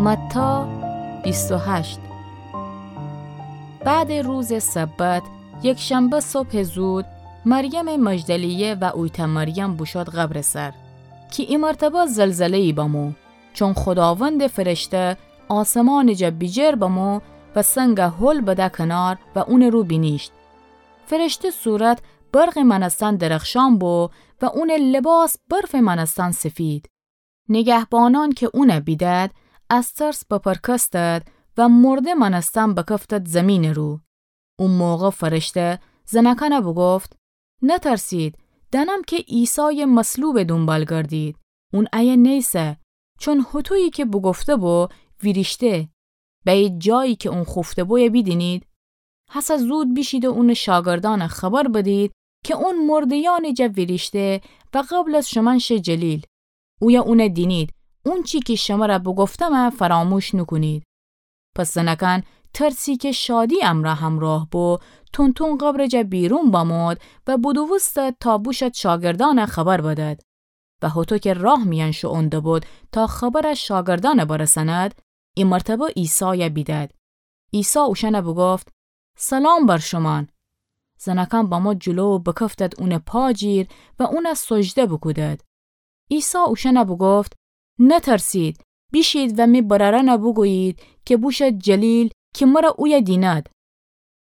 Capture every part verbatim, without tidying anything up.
متی بیست و هشت. بعدٚ روزٚ سبت، یکشنبه صبحٚ زود، مریم مجدلیه و اویتأ مریم بوشود قبرٚ سر، کی ایمرتبه زلزله‌یی بمو، چون خوداوندٚ فرشته آسمانٚ جا بیجر بمو و سنگ هل بده کنار و اونٚ رو بینیشت. فرشته صورت برقٚ مأنستن درخشان بو و اونٚ لباس برفٚ مأنستن سفید. نگهبانأن کی اون بیدد، از ترس بپرکستد و مرده مأنستن بکفتد زیمینٚ رو. او موقع فرشته زنأکأن بوگفت: نترسید، دأنم کی عیسایٚ مصلوبٚ دونبال گردید. اون ایه نیسه، چون هوطویی کی بوگفته‌بو ویریشته. بأیید جایی کی اون خوفته‌بویه بیدینید. هسه زود بیشید و اونٚ شاگردأن خبر بدید کی اون مرده‌یأنٚ جا ویریشته و قبل از شومأن شه جلیل. اویه اون دینید، اونچی کی شمر بوگفتم فراموش نوکونید. پس زنأکأن ترسی کی شادی امرأ همراه بو، تون‌تون قبرٚ جا بیرون بمود و بودوستد تا بوشد شاگردأن خبر بدد. و هوطو کی راه میأن شوئون دبود تا خبر شاگردأن برسند، ایمرتبه عیسای بیدد. عیسی اوشأن بوگفت: سلام بر شومأن. زنأکأن بمو جلو و بکفتد اونٚ پا جیر و اون سجده بوکودد. عیسی اوشأن بوگفت: نترسید، بیشید و می برأرأن بوگویید کی بوشد جلیل کی مر اویه دینید.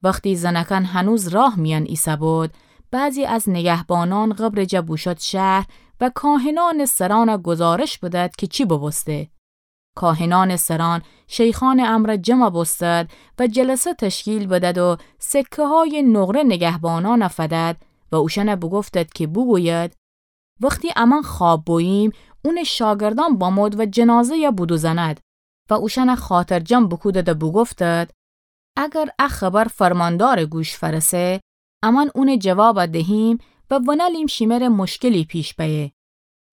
وختی زنأکأن هنوز راه میأن ایسه‌بود، بعضی از نگهبانأن قبرٚ جا بوشد شهر و کاهنأنٚ سرأن گزارش بدد کی چی ببوسته. کاهنأنٚ سرأن شیخأنٚ امرأ جمع بوستد و جلسه تشکیل بدد و سکه‌هایٚ نقره نگهبانأن فدد و اوشأن بوگفتد کی بوگوید: وختی امأن خواب بوییم، اونٚ شاگردأن بمود و جنازه‌ی بودوزند. و اوشأن خاطرجم بوکودد و بوگفتد: اگر ا خبر فرماندارٚ گوش فرسه، امأن اونٚ جواب دهیم و ونألیم شیمره مشکلی پیش بأیه.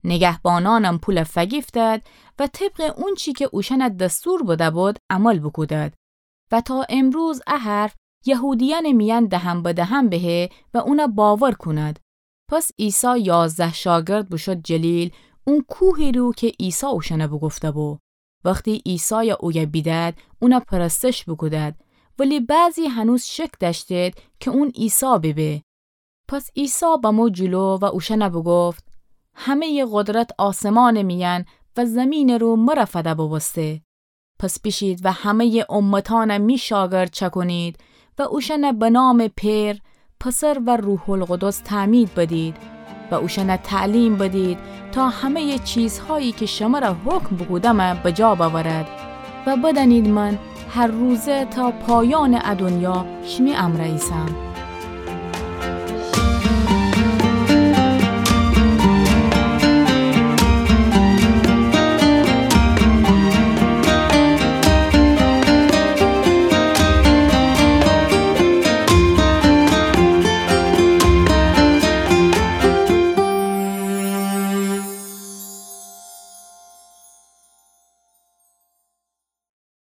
نگهبانأنم پول فگیفتد و طبقٚ اونچی کی اوشأن دستور بده‌بود عمل بوکودد. و تا امروز ا حرف یهودیأنٚ میأن دهن به دهن بهه و اون باور کونید. پس عیسی یازده شاگرد بوشود جلیل، اون کوهی رو کی عیسی اوشأن بوگفته‌بو. وختی عیسای اویه بیدد، اون پرستش بوکودد، ولی بعضی هنوز شک دأشتید کی اون عیسی بیبه. پس عیسی بمو جلو و اوشأن بوگفت: همه‌یٚ قدرت آسمانٚ میأن و زیمینٚ رو مر فده ببوسته. پس بیشید و همه‌یٚ امتأن می شاگرد چأکونید و اوشأن به نامٚ پئر، پسر و روح‌القدس تعمید بدید و اوشأن تعلیم بدید تا همه‌یٚ چیزهایی کی شمر حکم بوکودم بجا بأورد. و بدأنید من هر روزه تا پایانٚ ا دونیا شیمی امرأ ایسم.